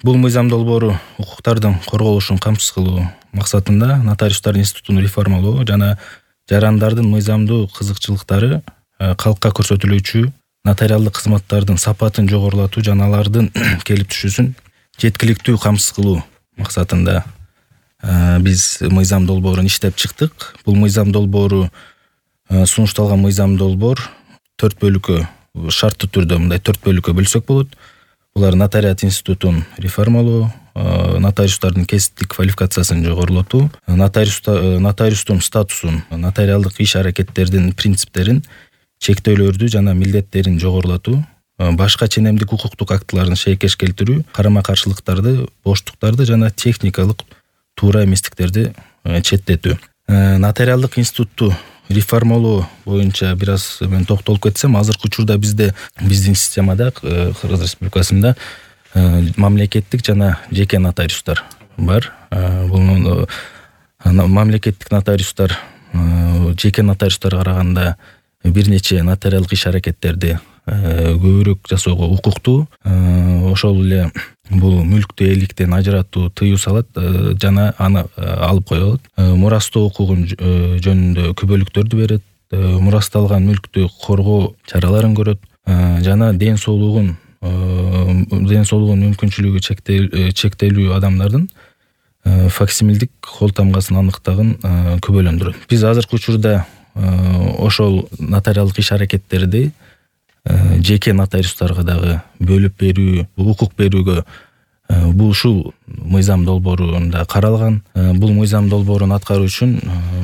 Бул мыйзам долбоору укуктардын корголушун камсыз кылуу максатында нотариустар институтун реформалоо жана жарандардын мыйзамдуу кызыкчылыктары калкка көрсөтүлүүчү нотариалдык кызматтардын сапатын жогорулатуу жана алардын келип түшүүсүн жеткиликтүү камсыз кылуу максатында биз мыйзам долбоорун иштеп чыктык. Бул мыйзам долбоору сунушталган мыйзам долбоор 4 бөлүккө шарттуу түрдө мындай 4 бөлүккө бөлсөк болот. Булар нотариат институтун реформалоо, нотариустардын кесиптик квалификациясын жогорулатуу, нотариустун статусун, нотариалдык иш-аракеттердин принциптерин, чектөөлөрдү жана милдеттерин жогорулатуу, башка ченемдик укуктук актыларын шейкеш келтирүү, карама-каршылыктарды, боштуктарды жана техникалык туура эместиктерди четтетүү. Нотариалдык институтту реформалоо боюнча бир аз мен токтолуп кетсем, азыркы учурда биздин системада Кыргыз Республикасында мамлекеттик жана жеке нотариустар бар. Бул мамлекеттик нотариустар жеке нотариустарга караганда бир нече нотариалдык иш-аракеттерди көбүрөөк жасоого укуктуу. Ошол эле бул мүлктү ээликтен ажыратуу тыюу салат жана аны алып кое алат. Мурастоо укугун жөнүндө күбөлүктөрдү берет, мурасталган мүлктү коргоо чараларын көрөт жана ден соолугун мүмкүнчүлүгү чектелүү адамдардын факсимилдик кол тамгасын аныктагын күбөлөндүрөт. Биз азыркы учурда ошол нотариалдык иш-аракеттерди жеке нотариустарга дагы бөлүп берүү, укук берүүгө бул ушул мыйзам долбоорунда каралган. Бул мыйзам долбоорун аткаруу үчүн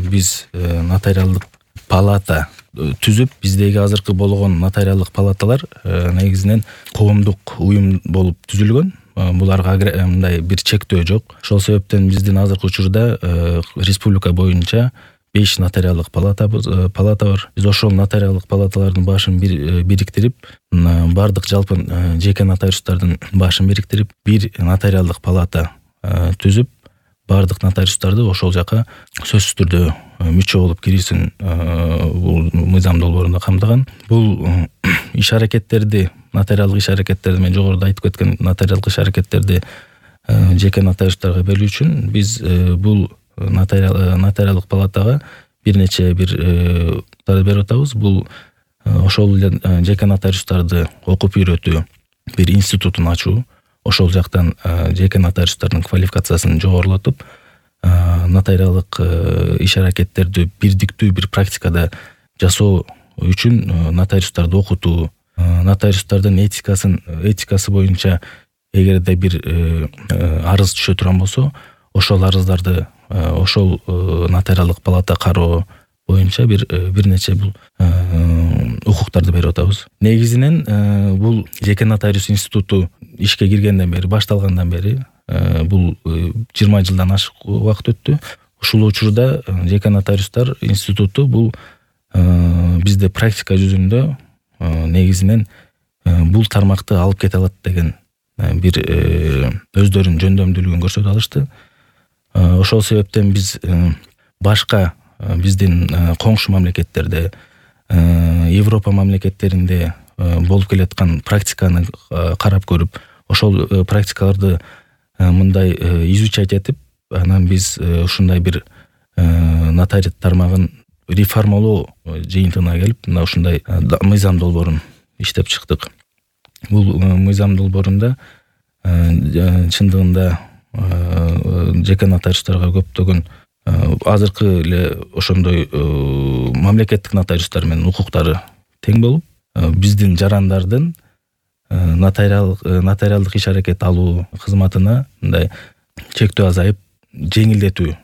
биз нотариалдык палата түзүп, биздеги азыркы болгон нотариалдык палаталар негизинен коомдук уюм болуп түзүлгөн. Буларга мындай бир чектөө жок. Ошол себептен биздин азыркы учурда республика боюнча 5 нотариалдык палата бар. Биз ошол нотариалдык палаталардын башын бириктирип, бардык жалпы жеке нотариустардын башын бириктирип, бир нотариалдык палата түзүп, бардык нотариустарды ошол жака сөзсүз түрдө мүчө болуп кирүүсүн бул мыйзам долбоорунда камтыган. Бул иш-аракеттерди, нотариалдык иш-аракеттерди, мен жогоруда айтып кеткен нотариалдык иш-аракеттерди жеке нотариустарга берүү үчүн биз бул нотариалдык палатага бир нече берип атабыз. Бул ошол эле жеке нотариустарды окуп үйрөтүү, бир институтун ачуу, ошол жактан жеке нотариустардын квалификациясын жогорулатып, нотариалдык иш-аракеттерди бирдиктүү бир практикада жасоо үчүн нотариустарды окутуу, нотариустардын этикасы боюнча эгерде бир арыз түшө турган болсо, ошол арыздарды ошол нотариалдык палата кароо боюнча бир нече бул укуктарды берип атабыз. Негизинен бул жеке нотариус институту ишке киргенден бери, башталгандан бери бул 20 жылдан ашык убакыт өттү. Ушул учурда жеке нотариустар институту бул бизде практика жүзүндө негизинен бул тармакты алып кете алат деген бир өздөрүнүн жөндөмдүүлүгүн көрсөтүп алышты. Ошол себептен биз башка биздин коңшу мамлекеттерде, Европа мамлекеттеринде болуп келаткан практиканы карап көрүп, ошол практикаларды мындай изучать этип, анан биз ушундай бир нотариат тармагын реформалоо жыйынтыгына келип, мына ушундай мыйзам долбоорун иштеп чыктык. Бул мыйзам долбоорунда чындыгында жеке нотариустарга көптөгөн азыркы эле ошондой мамлекеттик нотариустар менен укуктары тең болуп, биздин жарандардын нотариалдык иш-аракет алуу кызматына мындай чектөө азайып, жеңилдетүү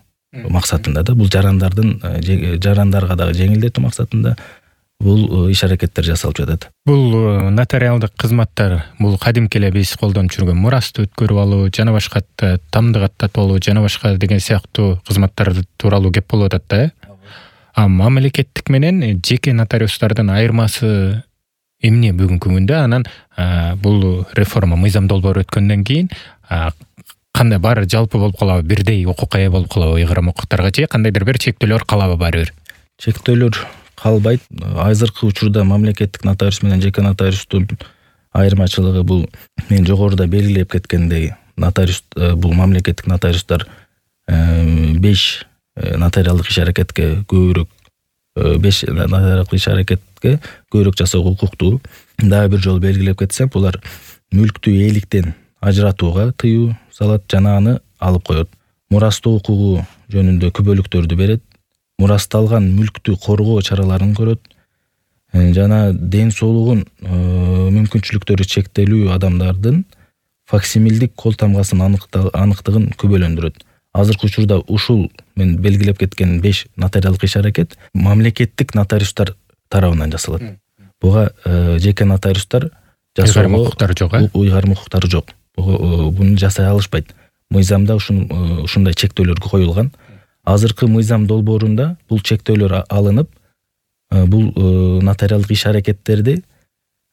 максатында да, бул жарандарга дагы жеңилдетүү максатында бул иш-аракеттер жасалып жатат. Бул нотариалдык кызматтар бул кадимки эле биз колдонуп жүргөн мурастты өткөрүп алуу, жана башка тамдык аттатып алуу, жана башка деген сыяктуу кызматтар тууралуу кеп болуп атат да. А мамлекеттик менен жеке нотариустардын айырмасы эмне бүгүнкү күндө? Анан бул реформа мыйзам долбоору өткөндөн кийин кандай баары жалпы болуп калабы, бирдей укукка ээ болуп калабы ыйгарым укуктарга, же кандайдыр бир чектөөлөр калабы баары бир? Чектөөлөр калбайт. Азыркы учурда мамлекеттик нотариус менен жеке нотариустун айырмачылыгы бул мен жогоруда белгилеп кеткендей нотариус бул мамлекеттик нотариустар 5 нотариалдык иш-аракетке көбүрөөк 5 нотариалдык иш-аракетке көбүрөөк жасоого укуктуу. Дагы бир жолу белгилеп кетсем, булар мүлктү ээликтен ажыратууга тыюу салат жана аны алып коет. Мурастоо укугу жөнүндө күбөлүктөрдү берет. Мурасталган мүлктү коргоо чараларын көрөт. Жана ден соолугун мүмкүнчүлүктөрү чектелүү адамдардын факсимилдик кол тамгасынын аныктыгын күбөлөндүрөт. Азыркы учурда ушул мен белгилеп кеткен 5 нотариалдык иш-аракет мамлекеттик нотариустар тарабынан жасалат. Буга жеке нотариустар жасоого уйгарым укуктары жок. Буну жасай алышпайт. Мыйзамда ушундай чектөөлөр коюлган. Азыркы мыйзам долбоорунда бул чектөөлөр алынып, бул нотариалдык иш-аракеттерди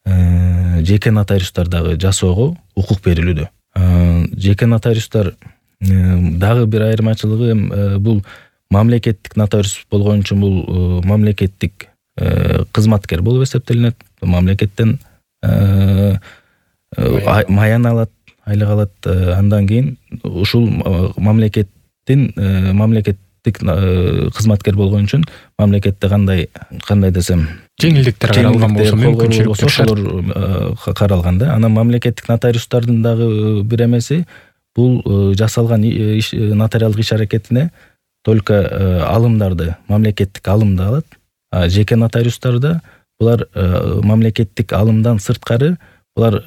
жеке нотариустар дагы жасоого укук берилүүдө. Жеке нотариустар дагы бир айырмачылыгы бул мамлекеттик нотариус болгон үчүн бул мамлекеттик кызматкер болуп эсептелинет. Мамлекеттен маян алат, айлык алат. Андан кийин ушул мамлекеттик кызматкер болгон үчүн мамлекетте кандай десем жеңилдиктер каралган болсо, мүмкүнчүлүктөр ошолор каралган да. Анан мамлекеттик нотариустардын дагы бир эмеси бул жасалган нотариалдык иш-аракетине только алымдарды мамлекеттик алымды алат. А жеке нотариустарда булар мамлекеттик алымдан сырткары булар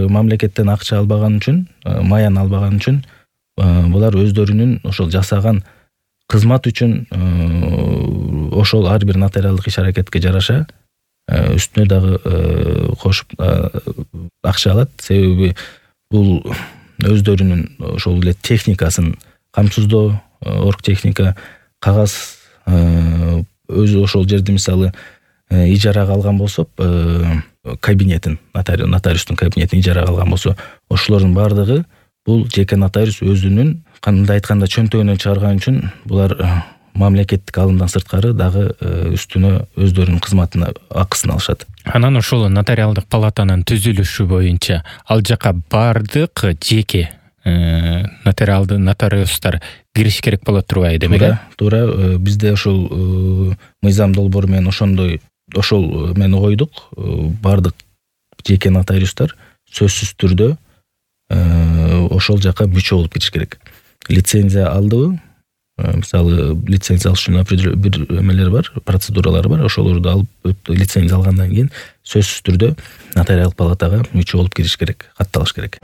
мамлекеттен акча албаган үчүн, маян албаган үчүн булар өздөрүнүн ошол жасаган кызмат үчүн ошол ар бир нотариалдык иш-аракетке жараша үстүнө дагы кошуп акча алат. Себеби бул өздөрүнүн ошол эле техникасын камсыздоо, оргтехника, кагаз өзү ошол жерди мисалы ижарага алган болсо, кабинетин, нотариустун кабинетин ижарага алган болсо, ошолордун баардыгы бул жеке нотариус өзүнүн кандай айтканда чөнтөгүнөн чыгарган үчүн булар мамлекеттик алымдан сырткары дагы үстүнө өздөрүнүн кызматына акысын алышат. Анан ошол нотариалдык палатанын түзүлүшү боюнча ал жака бардык жеке нотариустар кириш керек болот турбайбы демек? Туура. Бизде ошол мыйзам долбоору менен ошол мени койдук. Бардык жеке нотариустар сөзсүз түрдө ошол жака мүчө болуп кириш керек. Лицензия алдыбы? Мисалы, лицензия алыш үчүн бир эмелер бар, процедуралары бар. Ошолорду алып, лицензия алгандан кийин сөзсүз түрдө нотариалдык палатага мүчө болуп кириш керек, катталыш керек.